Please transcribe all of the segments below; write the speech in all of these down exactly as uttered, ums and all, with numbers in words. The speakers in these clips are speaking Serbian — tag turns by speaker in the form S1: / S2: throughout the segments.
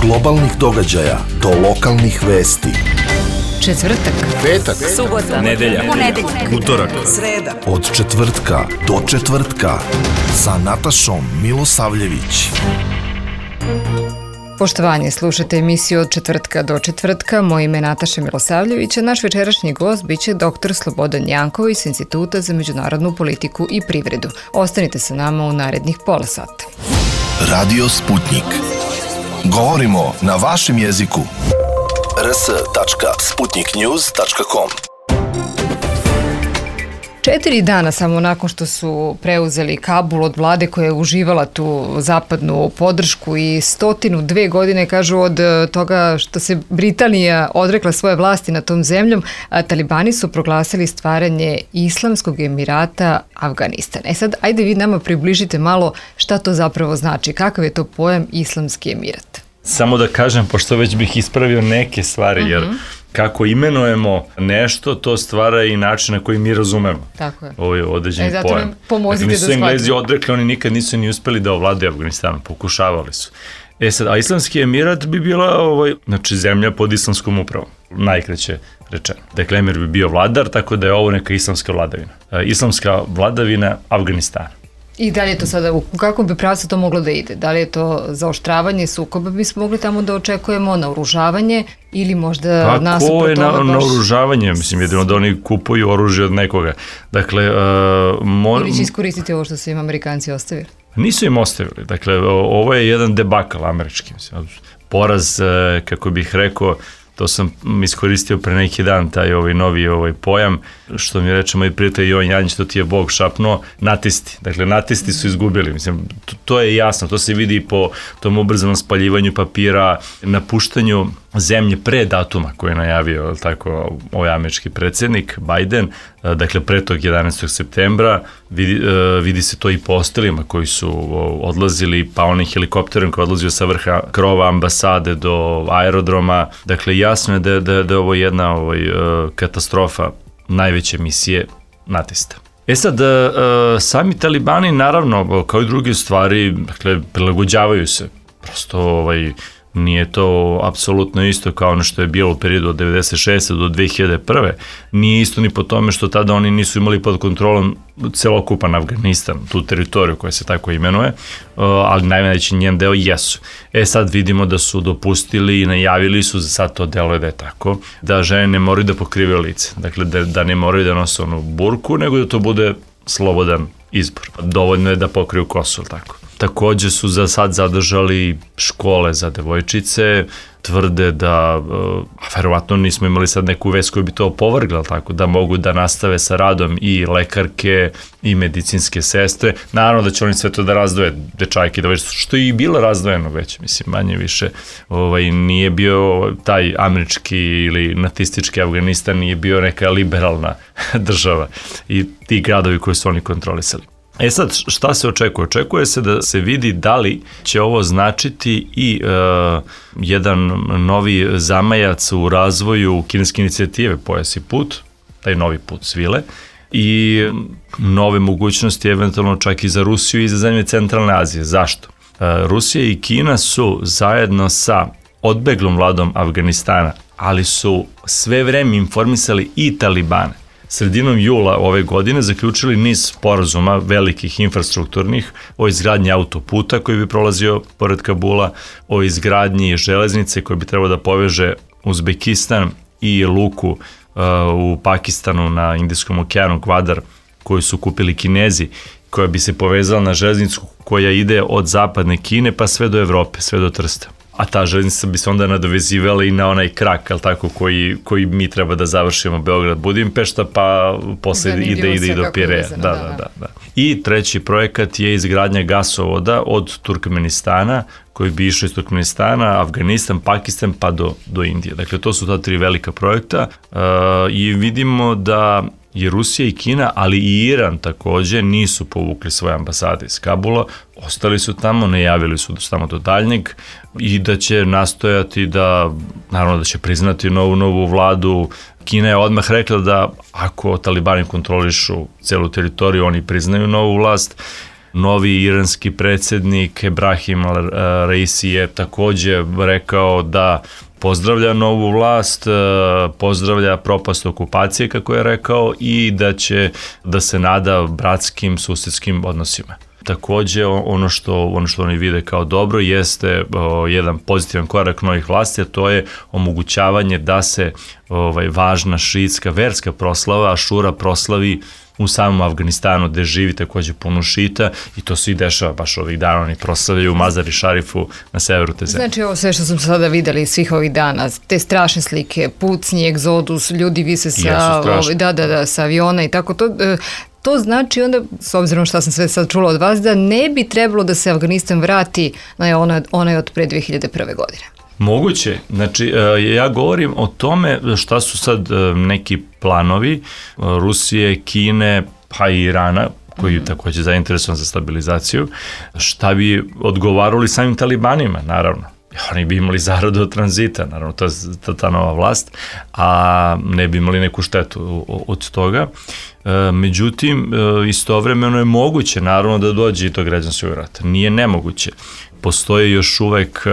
S1: globalnih događaja do lokalnih vesti.
S2: Četvrtak,
S3: petak,
S2: subota,
S3: nedelja,
S2: ponedeljak,
S3: utorak,
S2: sreda.
S1: Od četvrtka do četvrtka sa Natašom Milosavljević.
S2: Poštovanje, slušate emisiju Od četvrtka do četvrtka. Moje ime je Nataša Milosavljević, a naš večerašnji gost biće doktor Slobodan Janković s Instituta za međunarodnu politiku i privredu. Ostanite sa nama u narednih pola sata.
S1: Radio Sputnik. Govorimo na vašem jeziku. r s tačka sputnik news tačka com.
S2: Četiri dana samo nakon što su preuzeli Kabul od vlade koja je uživala tu zapadnu podršku i stotinu dve godine, kažu, od toga što se Britanija odrekla svoje vlasti nad tom zemljom, talibani su proglasili stvaranje Islamskog Emirata Avganistan. E sad, ajde vi nama približite malo šta to zapravo znači, kakav je to pojam Islamski Emirat.
S4: Samo da kažem, pošto već bih ispravio neke stvari, jer kako imenujemo nešto, to stvara i način na koji mi razumemo.
S2: Tako je.
S4: Ovo je određeni
S2: e, zato
S4: pojam.
S2: nam pomozite
S4: dakle,
S2: da shvatimo.
S4: Nisu Englezi odrekli, oni nikad nisu ni uspeli da ovladaju Afganistanom, pokušavali su. E sad, a Islamski Emirat bi bila ovaj, znači, zemlja pod islamskom upravom, najkraće rečeno. Dakle, emir bi bio vladar, tako da je ovo neka islamska vladavina. E, islamska vladavina Afganistana.
S2: I da li je to sada, u kakvom bi pravcu to moglo da ide? Da li je to zaoštravanje sukoba, bismo mogli tamo da očekujemo, naoružavanje ili možda
S4: pa,
S2: nasuprot
S4: tome baš...
S2: Pa ko je
S4: naoružavanje? Mislim, jedino da oni kupuju oružje od nekoga. Dakle, uh, mo...
S2: ili će iskoristiti ovo što su im Amerikanci ostavili?
S4: Nisu im ostavili. Dakle, ovo je jedan debakal američki. Mislim, poraz, kako bih rekao, to sam iskoristio pre neki dan, taj ovaj novi ovaj pojam, što mi reče moj prijatelj Jovan Janjić, to ti je Bog šapnuo, natisti. Dakle, natisti su izgubili. Mislim, to, to je jasno, to se vidi po tom ubrzanom spaljivanju papira, napuštanju zemlje pre datuma koji je najavio tako ovaj američki predsjednik Biden, dakle pre tog jedanaestog septembra, vidi, vidi se to i po ostalima koji su odlazili, pa onim helikopterom koji je odlazio sa vrha krova ambasade do aerodroma. Dakle, jasno je da, da, da je ovo jedna ovaj, katastrofa najveće misije natista. E sad, sami talibani, naravno, kao i druge stvari, dakle, prilagođavaju se. Prosto, ovaj, nije to apsolutno isto kao ono što je bilo u periodu od devedeset šeste do dve hiljade prve. Nije isto ni po tome što tada oni nisu imali pod kontrolom celokupan Afganistan, tu teritoriju koja se tako imenuje, ali najveći njen deo jesu. E sad vidimo da su dopustili i najavili su, za sad to deluje da je tako, da žene ne moraju da pokrivaju lice. Dakle, da, da ne moraju da nose onu burku, nego da to bude slobodan izbor. Dovoljno je da pokriju kosu, tako. Takođe su za sad zadržali škole za devojčice, tvrde da, a verovatno nismo imali sad neku vest koju bi to opovrgla, tako da mogu da nastave sa radom i lekarke i medicinske sestre. Naravno da će oni sve to da razdvoje, dečajke, da već, što je i bilo razdvojeno već, mislim, manje više. Ovaj, nije bio taj američki ili natistički Afganistan, nije bio neka liberalna država i ti gradovi koje su oni kontrolisali. E sad, šta se očekuje? Očekuje se da se vidi da li će ovo značiti i uh, jedan novi zamajac u razvoju kineske inicijative Pojas i put, taj novi put svile, i nove mogućnosti eventualno čak i za Rusiju i za zemlje Centralne Azije. Zašto? Uh, Rusija i Kina su zajedno sa odbeglom vladom Afganistana, ali su sve vreme informisali i talibane. Sredinom jula ove godine zaključili niz sporazuma velikih infrastrukturnih o izgradnji autoputa koji bi prolazio pored Kabula, o izgradnji železnice koja bi trebalo da poveže Uzbekistan i luku uh, u Pakistanu na Indijskom okeanu Gvadar koju su kupili Kinezi, koja bi se povezala na železnicu koja ide od zapadne Kine pa sve do Evrope, sve do Trsta. A ta železnica bi se onda nadovezivala i na onaj krak, ali tako, koji, koji mi treba da završimo Beograd-Budimpešta, pa posle Zanimljivo ide, ide i do Pireja. Da, da, da, da. I treći projekat je izgradnja gasovoda od Turkmenistana, koji bi išao iz Turkmenistana, Afganistan, Pakistan, pa do, do Indije. Dakle, to su ta tri velika projekta uh, i vidimo da i Rusija i Kina, ali i Iran takođe nisu povukli svoje ambasade iz Kabula, ostali su tamo, najavili su tamo do daljnjeg i da će nastojati da, naravno da će priznati novu, novu vladu. Kina je odmah rekla da ako talibani kontrolišu celu teritoriju, oni priznaju novu vlast. Novi iranski predsjednik Ebrahim Raisi je takođe rekao da pozdravlja novu vlast, pozdravlja propast okupacije, kako je rekao, i da će da se nada bratskim susjedskim odnosima. Takođe, ono što, ono što oni vide kao dobro jeste o, jedan pozitivan korak novih vlasti, a to je omogućavanje da se ovaj, važna šiitska verska proslava, Ašura, proslavi u samom Afganistanu, gde živi takođe puno šita, i to se i dešava baš ovih dana, oni proslavljaju u Mazari Šarifu na severu te zemlje.
S2: Znači, ovo sve što smo sada videli svih ovih dana, te strašne slike, pucnji, egzodus, ljudi vise sa, ovaj, da, da, da, sa aviona i tako to, to znači onda, s obzirom što sam sve sad čula od vas, da ne bi trebalo da se Afganistan vrati na onaj, onaj od pre dve hiljade prve godine.
S4: Moguće. Znači, ja govorim o tome šta su sad neki planovi Rusije, Kine, pa i Irana, koji je takođe zainteresovan za stabilizaciju, šta bi odgovarali samim talibanima, naravno. Oni bi imali zaradu od tranzita, naravno, to je ta, ta nova vlast, a ne bi imali neku štetu od toga. Međutim, istovremeno je moguće, naravno, da dođe i do građanskog rata. Nije nemoguće. Postoje još uvek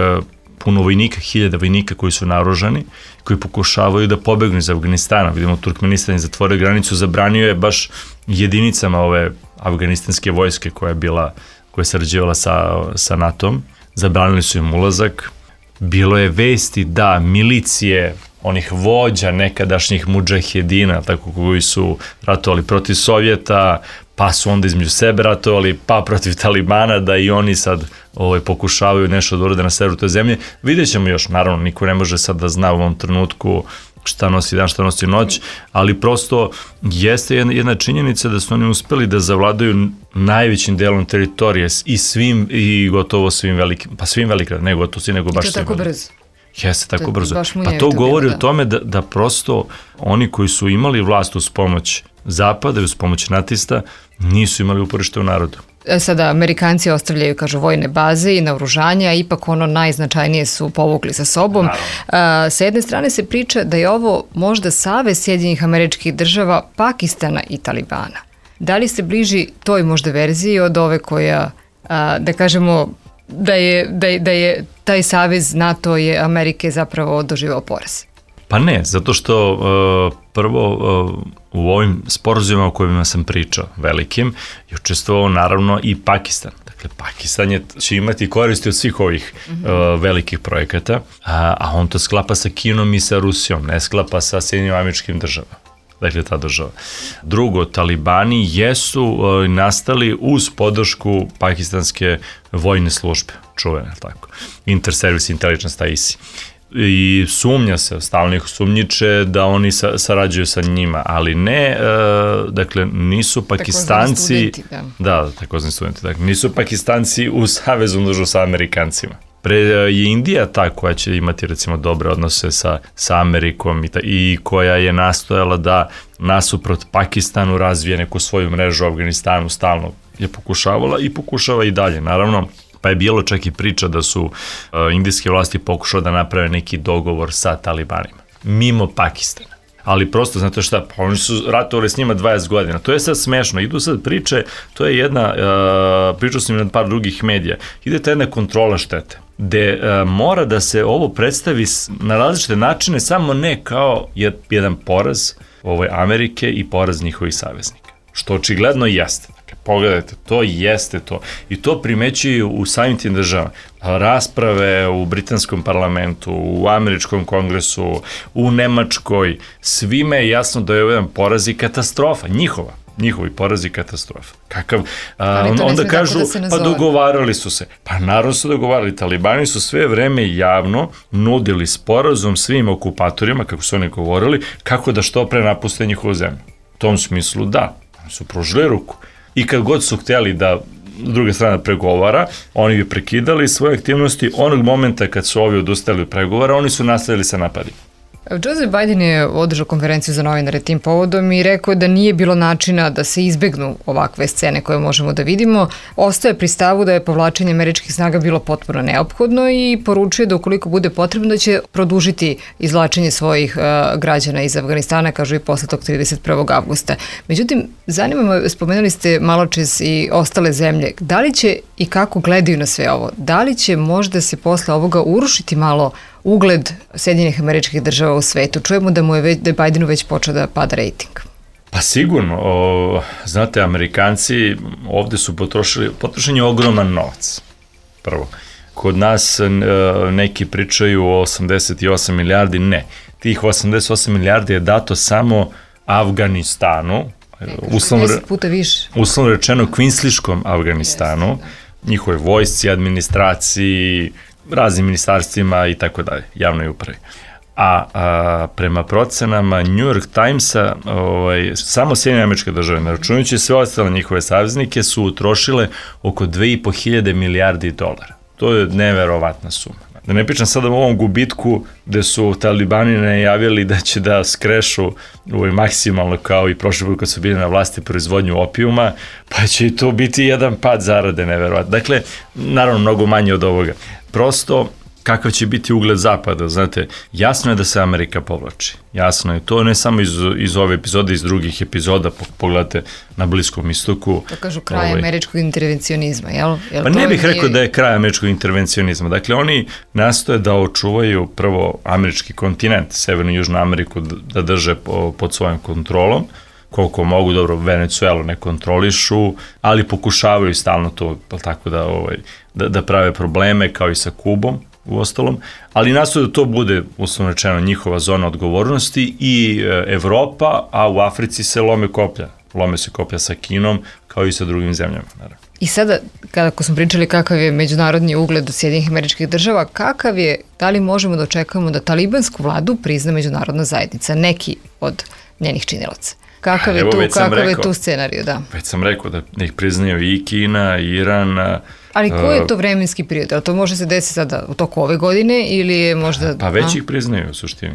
S4: puno vojnika, hiljada vojnika koji su naoružani, koji pokušavaju da pobegnu iz Afganistana. Vidimo, Turkmenistan je zatvorio granicu, zabranio je baš jedinicama ove afganistanske vojske koja je bila, koja je sarađivala sa, sa NATO-om. Zabranili su im ulazak. Bilo je vesti da milicije onih vođa nekadašnjih mudžahedina, tako koji su ratovali protiv Sovjeta, pa su onda između sebe ratovali, pa protiv Talibana, da i oni sad ovaj, pokušavaju nešto da urade na severu te zemlje. Vidjet ćemo još, naravno, niko ne može sad da zna u ovom trenutku šta nosi dan, šta nosi noć, ali prosto jeste jedna, jedna činjenica da su oni uspeli da zavladaju najvećim delom teritorije i svim, i gotovo svim velikim, pa svim velikim, ne gotovo svi, nego baš svim.
S2: I to tako brzo.
S4: Jeste, tako
S2: to,
S4: brzo. Pa to govori bilo, da. o tome da, da prosto oni koji su imali vlast uz pomoć Zapada i uz pomoć natista nisu imali uporište u narodu.
S2: Sada Amerikanci ostavljaju, kažu, vojne baze i naoružanja, a ipak ono najznačajnije su povukli sa sobom. A, sa jedne strane se priča da je ovo možda savez Sjedinjenih Američkih Država, Pakistana i Talibana. Da li se bliži toj možda verziji od ove koja, a, da kažemo, da je, da, je, da je taj savez NATO je Amerike zapravo doživao poraz?
S4: Pa ne, zato što uh, prvo uh, u ovim sporazumima o kojima sam pričao, velikim, je učestvovao naravno i Pakistan. Dakle, Pakistan je, će imati koristi od svih ovih mm-hmm. uh, velikih projekata, a, a on to sklapa sa Kinom i sa Rusijom, ne sklapa sa Sjedinjenim Američkim Državama. Dakle, ta država. Drugo, talibani jesu uh, nastali uz podršku pakistanske vojne službe, čuvene, tako, Inter-Service Intelligence, I S I. I sumnja se, stalno ih sumnjiče da oni sa, sarađuju sa njima, ali ne, e, dakle, nisu Pakistanci,
S2: studenti, da.
S4: da, takozvani studenti, dakle, nisu Pakistanci u savezu držu sa Amerikancima. Pre je Indija ta koja će imati, recimo, dobre odnose sa, sa Amerikom i, ta, i koja je nastojala da nasuprot Pakistanu razvije neku svoju mrežu u Afganistanu, stalno je pokušavala i pokušava i dalje, naravno. Pa je bilo čak i priča da su uh, indijske vlasti pokušale da naprave neki dogovor sa talibanima, mimo Pakistana. Ali prosto, znate šta, pa oni su ratovali s njima dvadeset godina. To je sad smešno. Idu sad priče, to je jedna, uh, pričao sam i na par drugih medija, ide ta jedna kontrola štete, gde uh, mora da se ovo predstavi na različite načine, samo ne kao jedan poraz ovaj, Amerike i poraz njihovih saveznika. Što očigledno jeste. Pogledajte, to jeste to. I to primećuju u samim tim državama. Rasprave u britanskom parlamentu, u američkom kongresu, u Nemačkoj, svime je jasno da je ovo jedan poraz i katastrofa, njihova. Njihovi porazi i katastrofa. Kakav, a, onda kažu, da pa dogovarali su se. Pa naravno su dogovarali. Talibani su sve vreme javno nudili sporazum svim okupatorima, kako su oni govorili, kako da što pre napuste njihovu zemlju. U tom smislu da, su pružili ruku. I kad god su htjeli da druga strana pregovara, oni bi prekidali svoje aktivnosti. Onog momenta kad su ovi odustali od pregovora, oni su nastavili sa napadima.
S2: Joseph Biden je održao konferenciju za novinare tim povodom i rekao da nije bilo načina da se izbegnu ovakve scene koje možemo da vidimo. Ostaje pri stavu da je povlačenje američkih snaga bilo potpuno neophodno i poručuje da ukoliko bude potrebno da će produžiti izvlačenje svojih uh, građana iz Afganistana, kažu i posle tog trideset prvog avgusta. Međutim, zanima me, spomenuli ste maločas i ostale zemlje, da li će i kako gledaju na sve ovo? Da li će možda se posle ovoga urušiti malo ugled Sjedinjenih Američkih Država u svetu? Čujemo da mu je, već, da je Bidenu već počeo da pada rejting.
S4: Pa sigurno. O, znate, Amerikanci ovde su potrošili, potrošen je ogroman novac. Prvo. Kod nas neki pričaju o osamdeset osam milijardi, ne. Tih osamdeset osam milijardi je dato samo Afganistanu, uslovno,
S2: puta više.
S4: uslovno rečeno kvinsliškom Afganistanu, njihove vojsci, administraciji, raznim ministarstvima i tako dalje, javnoj upravi. A, a prema procenama New York Timesa, ovaj, samo Sjedinjene Američke Države, ne računajući sve ostale njihove saveznike, su utrošile oko dve i po hiljade milijardi dolara. To je neverovatna suma. Da ne pričam sada o ovom gubitku gde su talibani najavili da će da skrešu ovaj, maksimalno kao i prošle put kad su bili na vlasti proizvodnju opijuma, pa će i to biti jedan pad zarade neverovatno. Dakle, naravno mnogo manje od ovoga. Prosto, kakav će biti ugled Zapada, znate, jasno je da se Amerika povlači. Jasno je to, ne samo iz, iz ove epizode, iz drugih epizoda, pogledate na Bliskom istoku.
S2: To kažu kraj ovaj, američkog intervencionizma, jel? jel
S4: pa ne bih
S2: nije...
S4: rekao da je kraj američkog intervencionizma. Dakle, oni nastoje da očuvaju prvo američki kontinent, Severnu i Južnu Ameriku, da drže po, pod svojom kontrolom, koliko mogu, dobro, Venecuelu ne kontrolišu, ali pokušavaju stalno to, tako da, ovaj, da, da prave probleme, kao i sa Kubom, u ostalom, ali nastoje da to bude, uslovno rečeno, njihova zona odgovornosti i Evropa, a u Africi se lome koplja. Lome se koplja sa Kinom, kao i sa drugim zemljama, naravno.
S2: I sada, kada smo pričali kakav je međunarodni ugled u Sjedinjenih Američkih Država, kakav je, da li možemo da očekujemo da talibansku vladu prizna međunarodna zajednica, neki od njenih činilaca? Kakav je,
S4: Evo,
S2: tu, kakav
S4: rekao,
S2: je tu scenariju, da?
S4: Već sam rekao da ih priznaju i Kina, i Iran.
S2: Ali koji je to vremenski period? Ali to može se desiti sada u toku ove godine ili je možda...
S4: Pa već a? ih priznaju u suštini.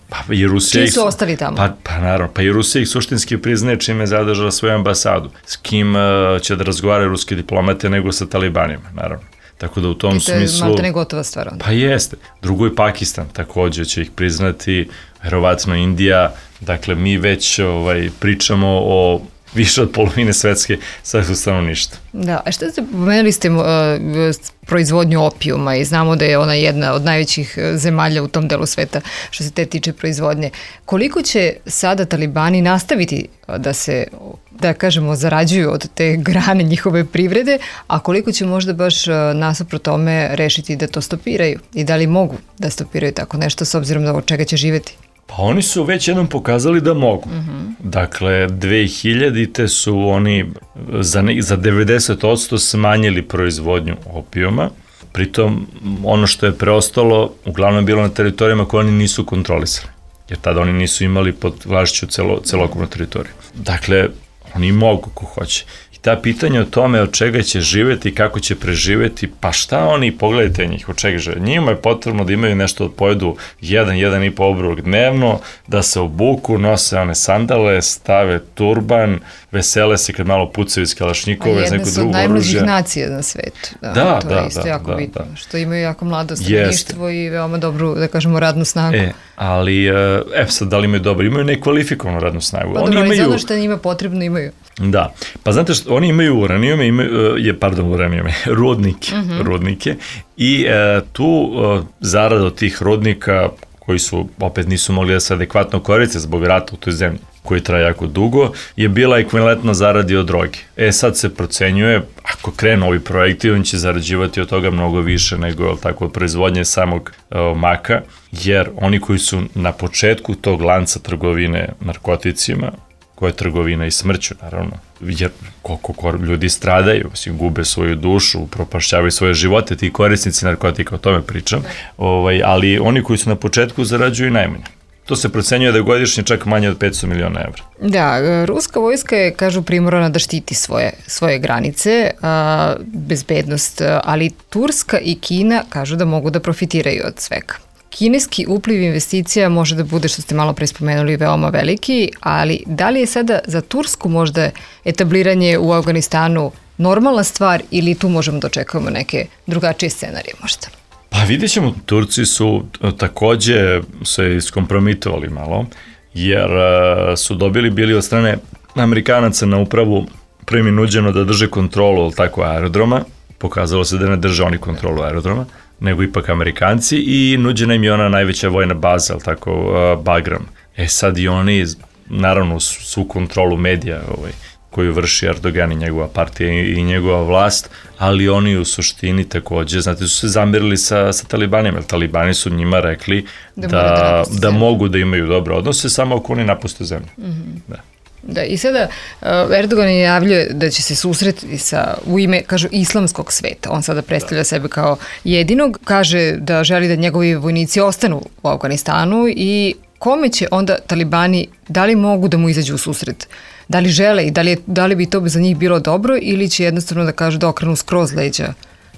S4: Pa i Rusija
S2: Čiji su ih, ostali tamo?
S4: Pa, pa naravno, pa i Rusija ih suštinski priznaje čime je zadržala svoju ambasadu. S kim uh, će da razgovaraju ruski diplomate nego sa talibanima, naravno. Tako da u tom smislu... I to je maltene
S2: gotova stvar onda.
S4: Pa jeste. Drugo je Pakistan, takođe će ih priznati, verovatno Indija. Dakle, mi već ovaj, pričamo o više od polovine svetske svetskog stanovništva.
S2: Da, a šta ste pomenuli ste uh, proizvodnju opijuma i znamo da je ona jedna od najvećih zemalja u tom delu sveta što se te tiče proizvodnje. Koliko će sada talibani nastaviti da se, da kažemo, zarađuju od te grane njihove privrede, a koliko će možda baš nasuprot tome rešiti da to stopiraju i da li mogu da stopiraju tako nešto s obzirom da od čega će živeti?
S4: Pa oni su već jednom pokazali da mogu. Uh-huh. Dakle, dve hiljadite su oni za, ne, za devedeset posto smanjili proizvodnju opijuma. Pritom, ono što je preostalo, uglavnom je bilo na teritorijama koje oni nisu kontrolisali. Jer tada oni nisu imali pod vlašću celo, celokupnu teritoriju. Dakle, oni mogu ko hoće. I ta pitanja o tome od čega će živeti, kako će preživeti, pa šta oni, pogledajte njih, od čega žive. Njima je potrebno da imaju nešto, pojedu jedan, jedan i po obrok dnevno, da se obuku, nose one sandale, stave turban, vesele se kad malo pucaju iz kalašnjikove, iz neko drugo oružje.
S2: Jedna su od najmlađih nacija na svetu. Da,
S4: da,
S2: to
S4: da,
S2: je isto
S4: da,
S2: jako
S4: da,
S2: bitno,
S4: da.
S2: što imaju jako mlado stanovništvo i veoma dobru, da kažemo, radnu snagu.
S4: E, ali, e, sad, da li imaju dobro? Imaju nekvalifikovanu radnu snagu.
S2: Pa dobro, ali za ono što njima potrebno imaju.
S4: Da, pa znate što, oni imaju uranijume, imaju, je, pardon, uranijume, rudnike, uh-huh. rudnike i e, tu e, zarada od tih rudnika koji su, opet nisu mogli da se adekvatno koriste zbog rata u toj zemlji, koji traje jako dugo, je bila ekvivalentna zaradi od droge. E sad se procenjuje, ako krenu ovi projekti, on će zarađivati od toga mnogo više nego tako od proizvodnje samog e, maka, jer oni koji su na početku tog lanca trgovine narkoticima, koja je trgovina i smrću, naravno, jer koliko ljudi stradaju, mislim, gube svoju dušu, propašćavaju svoje živote, ti korisnici narkotika, o tome pričam, ovaj, ali oni koji su na početku zarađuju najmanje. To se procenjuje da je godišnje čak manje od petsto miliona evra.
S2: Da, ruska vojska je, kažu, primorana da štiti svoje, svoje granice, a, bezbednost, ali Turska i Kina kažu da mogu da profitiraju od svega. kineski upliv investicija može da bude, što ste malo pre spomenuli, veoma veliki, ali da li je sada za Tursku možda etabliranje u Afganistanu normalna stvar ili tu možemo da očekujemo neke drugačije scenarije možda?
S4: Pa vidjet ćemo, Turci su takođe se iskompromitovali malo, jer su dobili bili od strane Amerikanaca na upravu prvi nuđeno da drže kontrolu tako aerodroma, pokazalo se da ne drže oni kontrolu aerodroma, nego ipak Amerikanci i nuđena im je ona najveća vojna baza, tako, Bagram. E sad i oni, naravno, su kontrolu medija ovaj, koju vrši Erdogan i njegova partija i njegova vlast, ali oni u suštini takođe, znate, su se zamirili sa, sa talibanima, jer talibani su njima rekli da, da, da, da mogu da imaju dobre odnose, samo ako oni napuste zemlju. Mm-hmm. Da.
S2: Da, i sada uh, Erdogan je javljuje da će se susretiti sa, u ime, kažu, islamskog sveta. On sada predstavlja da. sebe kao jedinog, kaže da želi da njegovi vojnici ostanu u Afganistanu i kome će onda talibani, da li mogu da mu izađu u susret? Da li žele i da li, je, da li bi to za njih bilo dobro ili će jednostavno da kažu da okrenu skroz leđa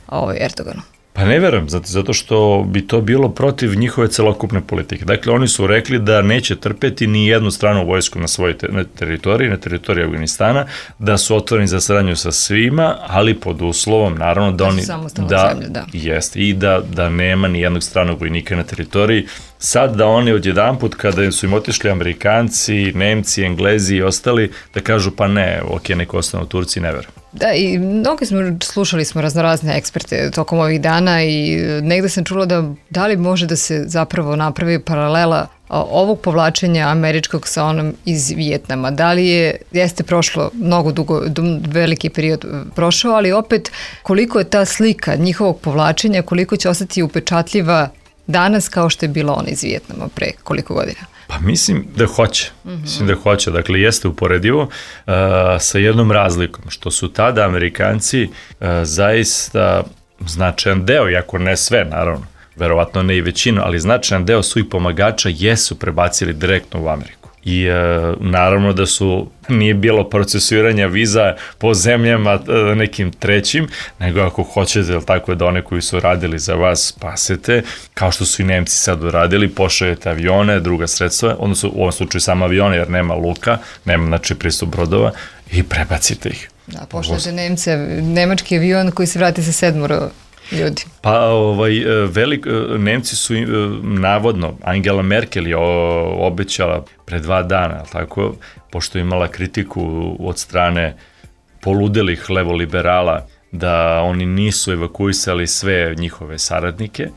S2: ovaj Erdoganu?
S4: Pa ne verujem, zato, zato što bi to bilo protiv njihove celokupne politike. Dakle, oni su rekli da neće trpeti ni jednu stranu vojsku na svojoj te, na teritoriji, na teritoriji Afganistana, da su otvoreni za saradnju sa svima, ali pod uslovom, naravno, da oni... Da,
S2: zemlje, da.
S4: Jest, i da, da nema ni jednog stranog vojnika na teritoriji. Sad da oni odjedanput, kada su im otišli Amerikanci, Nemci, Englezi i ostali, da kažu pa ne, ok, neko ostane u Turciji, ne verujem.
S2: Da, i mnogi smo, slušali smo raznorazne eksperte tokom ovih dana i negde sam čula da da li može da se zapravo napravi paralela ovog povlačenja američkog sa onom iz Vijetnama. Da li je, jeste prošlo mnogo dugo, veliki period prošao, ali opet koliko je ta slika njihovog povlačenja, koliko će ostati upečatljiva danas kao što je bila ona iz Vijetnama pre koliko godina?
S4: Pa mislim da hoće, mm-hmm. mislim da hoće, dakle jeste uporedivo uh, sa jednom razlikom, što su tada Amerikanci uh, zaista značajan deo, iako ne sve naravno, verovatno ne i većinu, ali značajan deo svojih pomagača jesu prebacili direktno u Ameriku. I e, naravno da su, nije bilo procesuiranja viza po zemljama e, nekim trećim, nego ako hoćete, ili tako da one koji su radili za vas spasete, kao što su i Nemci sad uradili, pošaljete avione, druga sredstva, odnosno u ovom slučaju samo avione, jer nema luka, nema znači pristup brodova i prebacite ih.
S2: Da, pošaljete Nemce, nemački avion koji se vrati sa sedmoro ljudi.
S4: Pa ovaj, velik, Nemci su navodno, Angela Merkel je obećala pre dva dana, tako, pošto je imala kritiku od strane poludelih levoliberala da oni nisu evakuisali sve njihove saradnike,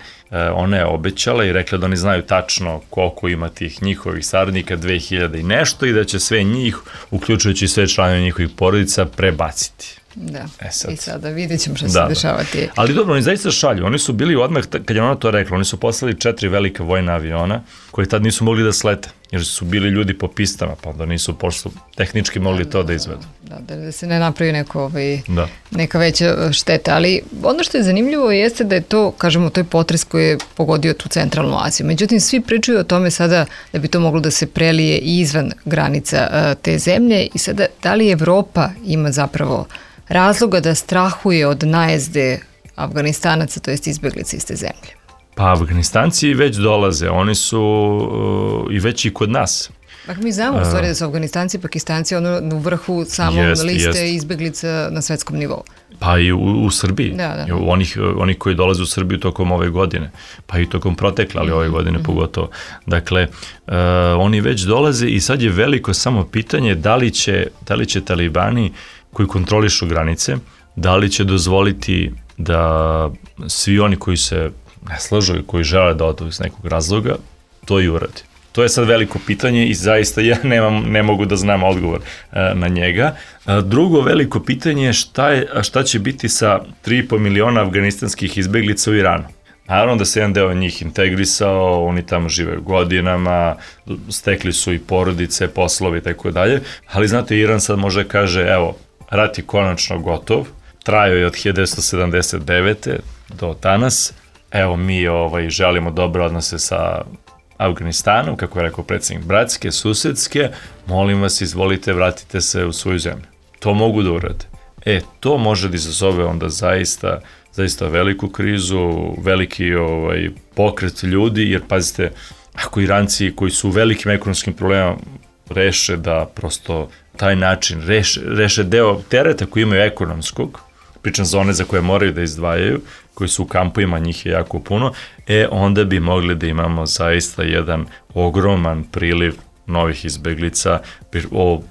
S4: ona je obećala i rekla da oni znaju tačno koliko ima tih njihovih saradnika, dve hiljade i nešto, i da će sve njih, uključujući sve članove njihovih porodica, prebaciti.
S2: Da, e sad. I sada vidjet ćemo što da, se dešavati.
S4: Da. Ali dobro, oni zaista šalju. Oni su bili odmah, kad je ona to rekla, oni su poslali četiri velika vojna aviona koji tad nisu mogli da slete, jer su bili ljudi po pistama, pa da nisu pošto tehnički mogli da, to da, da izvedu.
S2: Da, da se ne napravi neko, ovaj, da. neka veća šteta. Ali ono što je zanimljivo jeste da je to, kažemo, to je potres koji je pogodio tu centralnu Aziju. Međutim, svi pričaju o tome sada da bi to moglo da se prelije i izvan granica uh, te zemlje i sada da li Evropa ima zapravo razloga da strahuje od najezde Afganistanaca, to jest izbeglica iz te zemlje?
S4: Pa Afganistanci već dolaze, oni su uh, i već i kod nas.
S2: Dakle, mi znamo u stvari da su Afganistanci i Pakistanci ono u vrhu samom jest, liste jest. izbeglica na svetskom nivou.
S4: Pa i u, u Srbiji,
S2: da, da.
S4: Onih, onih koji dolaze u Srbiju tokom ove godine, pa i tokom protekle, ali ove godine mm-hmm. pogotovo. Dakle, uh, oni već dolaze i sad je veliko samo pitanje da li će, da li će talibani koji kontrolišu granice, da li će dozvoliti da svi oni koji se ne slažu i koji žele da odu iz nekog razloga, to i uradi. To je sad veliko pitanje i zaista ja nemam, ne mogu da znam odgovor e, na njega. E, drugo veliko pitanje je šta, je šta će biti sa tri i po miliona afganistanskih izbeglica u Iranu. Naravno da se jedan deo njih integrisao, oni tamo žive godinama, stekli su i porodice, poslovi i tako dalje, ali znate, Iran sad može kaže, evo, rat je konačno gotov, trajao je od hiljadu devetsto sedamdeset devete do danas, evo mi ovaj, želimo dobre odnose sa Afganistanom, kako je rekao predsjednik, bratske, susedske, molim vas, izvolite, vratite se u svoju zemlju. To mogu da urade. E, to može da izazove onda zaista, zaista veliku krizu, veliki ovaj, pokret ljudi, jer pazite, ako Iranci koji su u velikim ekonomskim problemama reše da prosto taj način reše, reše deo tereta koji imaju ekonomskog, pričam za one za koje moraju da izdvajaju, koji su u kampovima, njih je jako puno, e onda bi mogli da imamo zaista jedan ogroman priliv novih izbeglica, o,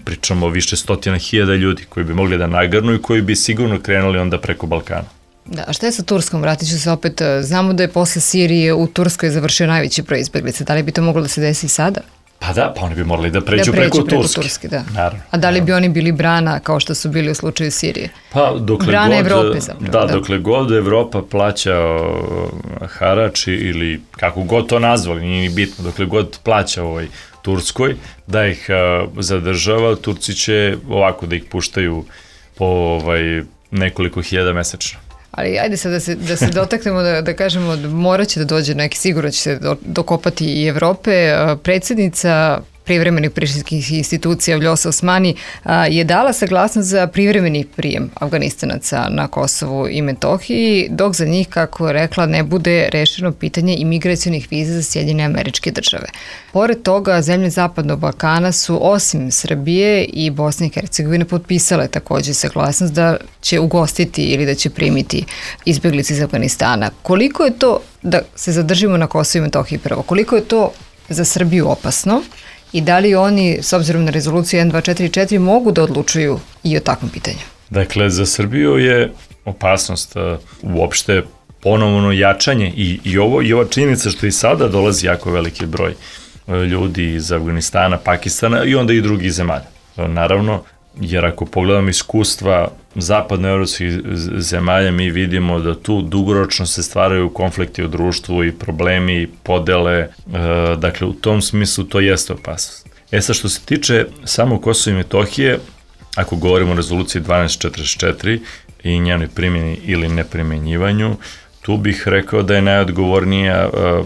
S4: pričamo o više stotina hiljada ljudi koji bi mogli da nagrnu i koji bi sigurno krenuli onda preko Balkana.
S2: Da, a šta je sa Turskom? Vratit ću se opet, znamo da je posle Sirije u Turskoj završio najveći broj izbeglica, da li bi to moglo da se desi i sada?
S4: Pa da, pa oni bi morali da pređu, da pređu preko, preko Turske. Turske da. Naravno, a da li bi oni bili brana kao što su bili u slučaju Sirije? Pa dokle
S2: brana
S4: god,
S2: Evrope zapravo.
S4: Da, da, dokle god Evropa plaća harač ili kako god to nazvali, nije ni bitno, dokle god plaća ovaj Turskoj, da ih uh, zadržava, Turci će ovako da ih puštaju po ovaj, nekoliko hiljada mesečno.
S2: Ali ajde sad da se, da se dotaknemo, da, da kažemo, morat će da dođe neki, sigurno će se do, dokopati i Evrope. Predsjednica privremenih prištinskih institucija Vljosa Osmani je dala saglasnost za privremeni prijem Afganistanaca na Kosovu i Metohiji, dok za njih, kako je rekla, ne bude rešeno pitanje imigracionih viza za Sjedinjene Američke Države. Pored toga, zemlje Zapadnog Balkana su osim Srbije i Bosne i Hercegovine potpisale takođe saglasnost da će ugostiti ili da će primiti izbeglice iz Afganistana. Koliko je to, da se zadržimo na Kosovu i Metohiji prvo, koliko je to za Srbiju opasno? I da li oni, s obzirom na rezoluciju jedan dva četiri četiri, mogu da odlučuju i o takvom pitanju?
S4: Dakle, za Srbiju je opasnost uh, uopšte ponovno jačanje i, i, ovo, i ova činjenica što i sada dolazi jako veliki broj uh, ljudi iz Afganistana, Pakistana i onda i drugih zemalja. Uh, naravno, jer ako pogledamo iskustva zapadnoevropskih zemalja, mi vidimo da tu dugoročno se stvaraju konflikti u društvu i problemi, podele, e, dakle u tom smislu to jeste opasnost. E sad, što se tiče samo Kosova i Metohije, ako govorimo o rezoluciji dvanaest četrdeset četiri i njenoj primjeni ili neprimenjivanju, tu bih rekao da je najodgovornija e,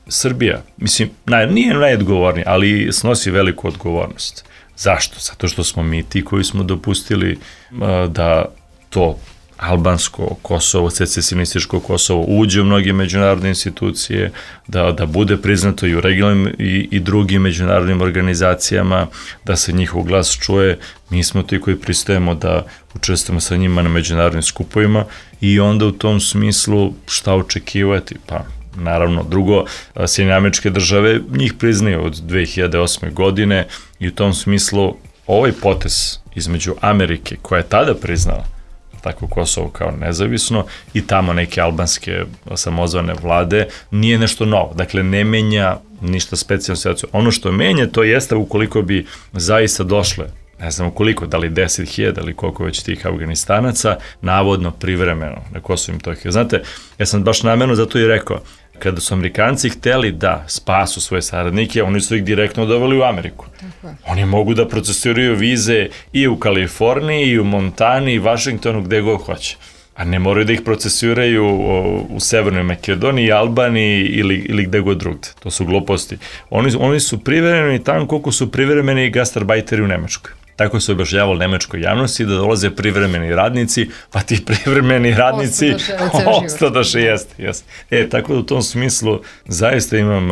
S4: Srbija. Mislim, naj, nije najodgovornija, ali snosi veliku odgovornost. Zašto? Zato što smo mi ti koji smo dopustili uh, da to albansko Kosovo, secesionističko Kosovo uđe u mnoge međunarodne institucije, da, da bude priznato i u regionalnim i, i drugim međunarodnim organizacijama, da se njihov glas čuje. Mi smo ti koji pristajemo da učestvujemo sa njima na međunarodnim skupovima i onda u tom smislu šta očekivati? Pa naravno, drugo, Sjedinjene Američke Države njih priznaju od dve hiljade osme godine i u tom smislu ovaj potez između Amerike, koja je tada priznala tako Kosovo kao nezavisno, i tamo neke albanske samozvane vlade, nije nešto novo. Dakle, ne menja ništa specijalno situaciju. Ono što menja, to jeste ukoliko bi zaista došle, ne znam koliko, da li deset hiljada ili koliko već tih Afganistanaca, navodno privremeno na Kosovo i Metohiju. Znate, ja sam baš namerno zato i rekao, kada su Amerikanci hteli da spasu svoje saradnike, oni su ih direktno doveli u Ameriku. Tako. Oni mogu da procesiraju vize i u Kaliforniji, i u Montani, i Vašingtonu, gde god hoće. A ne moraju da ih procesiraju u Severnoj Makedoniji, Albaniji ili, ili gde god drugde. To su gluposti. Oni, oni su privremeni tamo koliko su privremeni gastarbajteri u Nemačkoj. Tako se objašnjavalo nemačkoj javnosti da dolaze privremeni radnici, pa ti privremeni radnici ostadoše, jeste, jeste. E, tako da u tom smislu zaista imam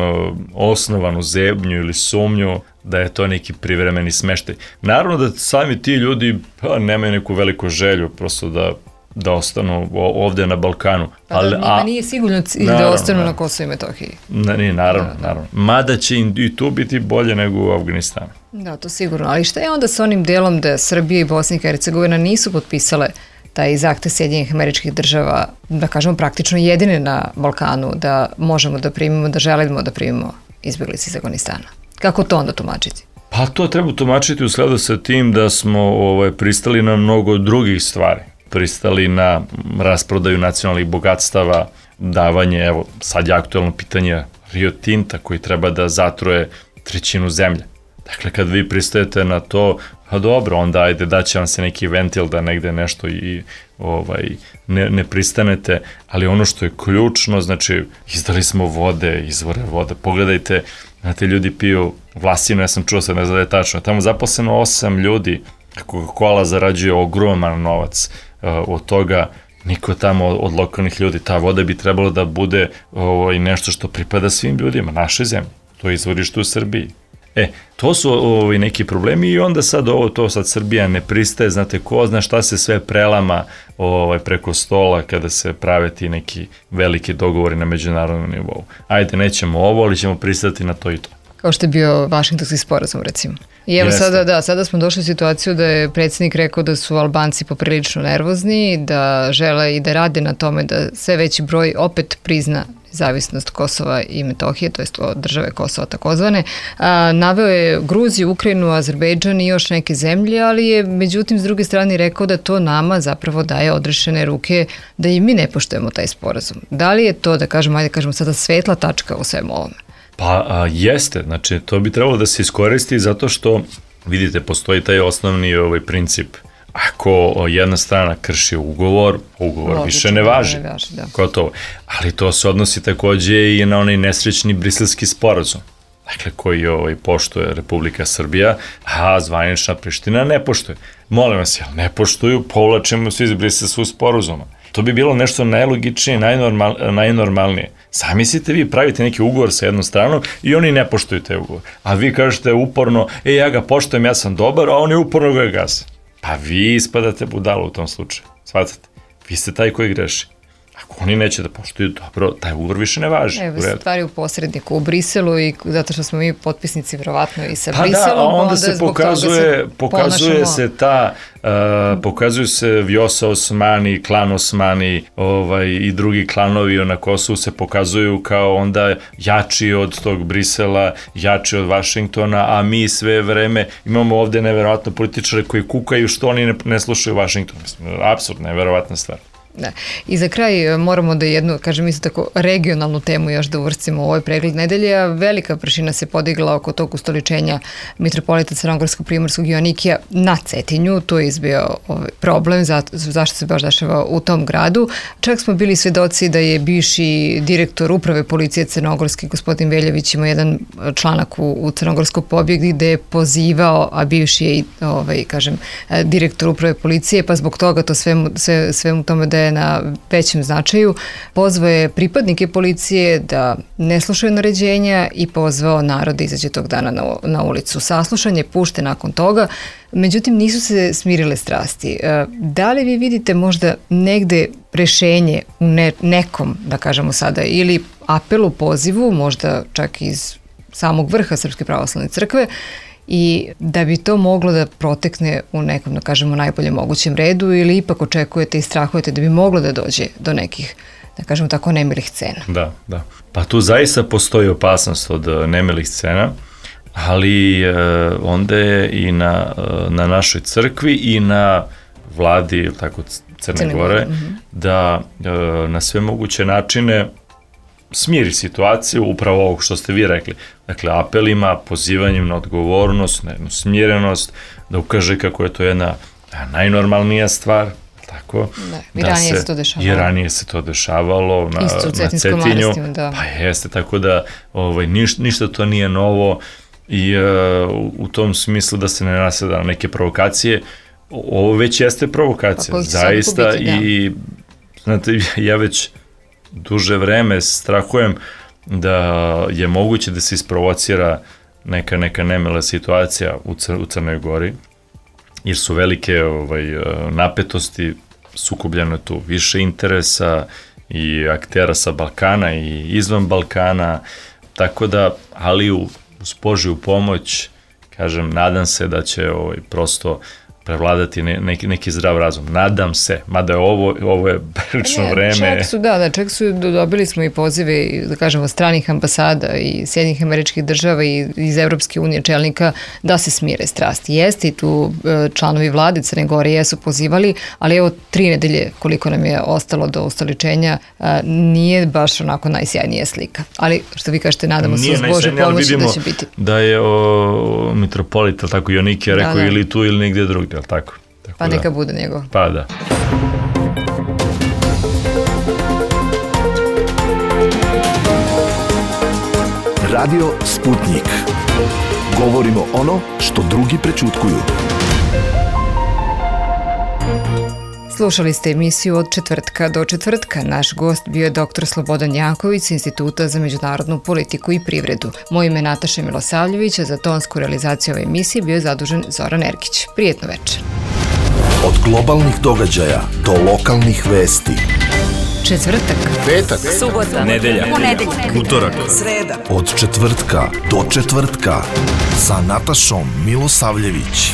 S4: osnovanu zebnju ili sumnju da je to neki privremeni smeštaj. Naravno da sami ti ljudi pa, nemaju neku veliku želju prosto da da ostanu ovde na Balkanu.
S2: Pa ali, da, a, nije sigurno cilj da ostanu naravno, na Kosovo i Metohiji.
S4: Na, nije, naravno, da, da. naravno. Mada će i tu biti bolje nego u Afganistanu.
S2: Da, to sigurno. Ali šta je onda sa onim delom da Srbija i Bosna i Hercegovina nisu potpisale taj zahtev Sjedinjenih Američkih Država, da kažemo praktično jedine na Balkanu, da možemo da primimo, da želimo da primimo izbeglice iz Afganistana? Kako to onda tumačiti?
S4: Pa to treba tumačiti u skladu sa tim da smo ovaj, pristali na mnogo drugih stvari. Pristali na rasprodaju nacionalnih bogatstava, davanje, evo, sad je aktualno pitanje Rio Tinta koji treba da zatruje trećinu zemlje. Dakle, kad vi pristajete na to, pa dobro, onda ajde daće vam se neki ventil da negde nešto i ovaj, ne, ne pristanete, ali ono što je ključno, znači, izdali smo vode, izvore vode, pogledajte, znate, ljudi piju vlasinu, ja sam čuo sad, ne znam da je tačno, tamo zaposleno osam ljudi Coca-Cola zarađuje ogroman novac od toga, niko tamo od lokalnih ljudi, ta voda bi trebalo da bude ovaj, nešto što pripada svim ljudima, našoj zemlji, to je izvorište u Srbiji. E, to su ovaj, neki problemi i onda sad ovo, to sad Srbija ne pristaje, znate, ko zna šta se sve prelama ovaj, preko stola kada se prave ti neki veliki dogovori na međunarodnom nivou. Ajde, nećemo ovo, ali ćemo pristati na to i to.
S2: Kao što je bio Vašingtonski sporazum, recimo. I evo
S4: Jeste.
S2: sada, da, sada smo došli u situaciju da je predsjednik rekao da su Albanci poprilično nervozni, da žele i da rade na tome da sve veći broj opet prizna nezavisnost Kosova i Metohije, to jest države Kosova takozvane. A, naveo je Gruziju, Ukrajinu, Azerbejdžan i još neke zemlje, ali je međutim s druge strane rekao da to nama zapravo daje odrešene ruke da i mi ne poštujemo taj sporazum. Da li je to, da kažemo, ajde kažemo sada svetla tačka u svemu ovome?
S4: Pa a, jeste, znači to bi trebalo da se iskoristi zato što, vidite, postoji taj osnovni ovaj princip. Ako jedna strana krši ugovor, ugovor Logično, više ne važi. Ne važi da. Gotovo. Ali to se odnosi takođe i na onaj nesrećni briselski sporazum. Dakle, koji ovaj, poštuje Republika Srbija, a zvanična Priština ne poštuje. Molim vas, jel ne poštuju, povlačimo se iz briselskog sporazuma. To bi bilo nešto najlogičnije, najnormal, najnormalnije. Zamislite, vi pravite neki ugovor sa jednom stranom i oni ne poštuju te ugovor. A vi kažete uporno, e, ja ga poštujem, ja sam dobar, a oni uporno ga gase. Pa vi ispadate budalo u tom slučaju. Shvatate? Vi ste taj koji greši. Ako oni neće da poštuju, dobro, taj ugovor više ne važi.
S2: Evo, stvari u posredniku u Briselu i zato što smo mi potpisnici vjerovatno i sa
S4: pa
S2: Briselom.
S4: Pa da, a onda, onda se pokazuje, se pokazuje se ta, uh, pokazuju se Vjosa Osmani, klan Osmani ovaj, i drugi klanovi na Kosovu se pokazuju kao onda jači od tog Brisela, jači od Vašingtona, a mi sve vreme imamo ovde neverovatno političare koji kukaju što oni ne, ne slušaju Vašington. Mislim, apsurd, neverovatna stvar.
S2: Da. I za kraj moramo da jednu, kažem isto tako, regionalnu temu još da uvrstimo u ovaj pregled nedelje, a velika prašina se podigla oko tog ustoličenja mitropolita Crnogorsko-primorskog Joanikija na Cetinju. To je izbio ovaj problem, za, zašto se baš dešava u tom gradu. Čak smo bili svedoci da je bivši direktor uprave policije Crnogorske, gospodin Veljević, imao jedan članak u, u Crnogorskoj pobjedi gde je pozivao, a bivši je i, ovaj, kažem, direktor uprave policije, pa zbog toga to sve, sve, sve u tome da je na većem značaju, pozvao je pripadnike policije da ne slušaju naređenja i pozvao narod da izađe tog dana na, na ulicu. Saslušan je pušten nakon toga, međutim nisu se smirile strasti. Da li vi vidite možda negde rešenje u ne, nekom, da kažemo sada, ili apelu, pozivu, možda čak iz samog vrha Srpske pravoslavne crkve, i da bi to moglo da protekne u nekom, da kažemo, najboljem mogućem redu, ili ipak očekujete i strahujete da bi moglo da dođe do nekih, da kažemo tako, nemilih scena?
S4: Da, da. Pa tu zaista postoji opasnost od nemilih scena, ali e, onda je i na, na našoj crkvi i na vladi, tako, Crne, Crne Gore, mm-hmm. da e, na sve moguće načine smiri situaciju, upravo ovog što ste vi rekli. Dakle, apelima, pozivanjem na odgovornost, na jednu smirenost, da ukaže kako je to jedna najnormalnija stvar, tako?
S2: Da, i ranije se, se to dešavalo.
S4: I ranije se to dešavalo na, na Cetinju. Da. Pa jeste, tako da ovaj, niš, ništa to nije novo i uh, u tom smislu da se ne naseda na neke provokacije. Ovo već jeste provokacija, pa, zaista, biti, i da. Znate, ja već duže vreme strahujem da je moguće da se isprovocira neka, neka nemila situacija u, Cr u Crnoj Gori, jer su velike ovaj, napetosti, sukobljeno tu više interesa i aktera sa Balkana i izvan Balkana, tako da, ali uz Božju pomoć, kažem, nadam se da će ovaj, prosto prevladati ne, neki, neki zdrav razum. Nadam se, mada je ovo, ovo je prilično vreme.
S2: Čak su, da, da, čak su, dobili smo i pozive, da kažemo, stranih ambasada i Sjedinjenih Američkih Država i iz Evropske unije čelnika da se smire strasti. Jeste i tu članovi vlade Crne Gore jesu pozivali, ali evo tri nedelje koliko nam je ostalo do ustoličenja, nije baš onako najsjajnija slika. Ali što vi kažete, nadamo se uz Bože pomoći da će biti.
S4: Da je o, mitropolit, tako Joanikija rekao, da, da. Ili tu ili negdje drugdje, ali tako? Tako
S2: pa neka da. Bude njegov.
S4: Pa da.
S1: Radio Sputnik. Govorimo ono što drugi prećutkuju.
S2: Slušali ste emisiju Od četvrtka do četvrtka. Naš gost bio je doktor Slobodan Janković sa Instituta za međunarodnu politiku i privredu. Moje ime je Nataša Milosavljević, a za tonsku realizaciju ove emisije bio je zadužen Zoran Erkić. Prijetno večer.
S1: Od globalnih događaja do lokalnih vesti.
S2: Četvrtak,
S1: Petak,
S2: subota,
S3: nedelja,
S2: ponedeljak,
S3: utorak,
S2: sreda.
S1: Od četvrtka do četvrtka sa Natašom Milosavljević.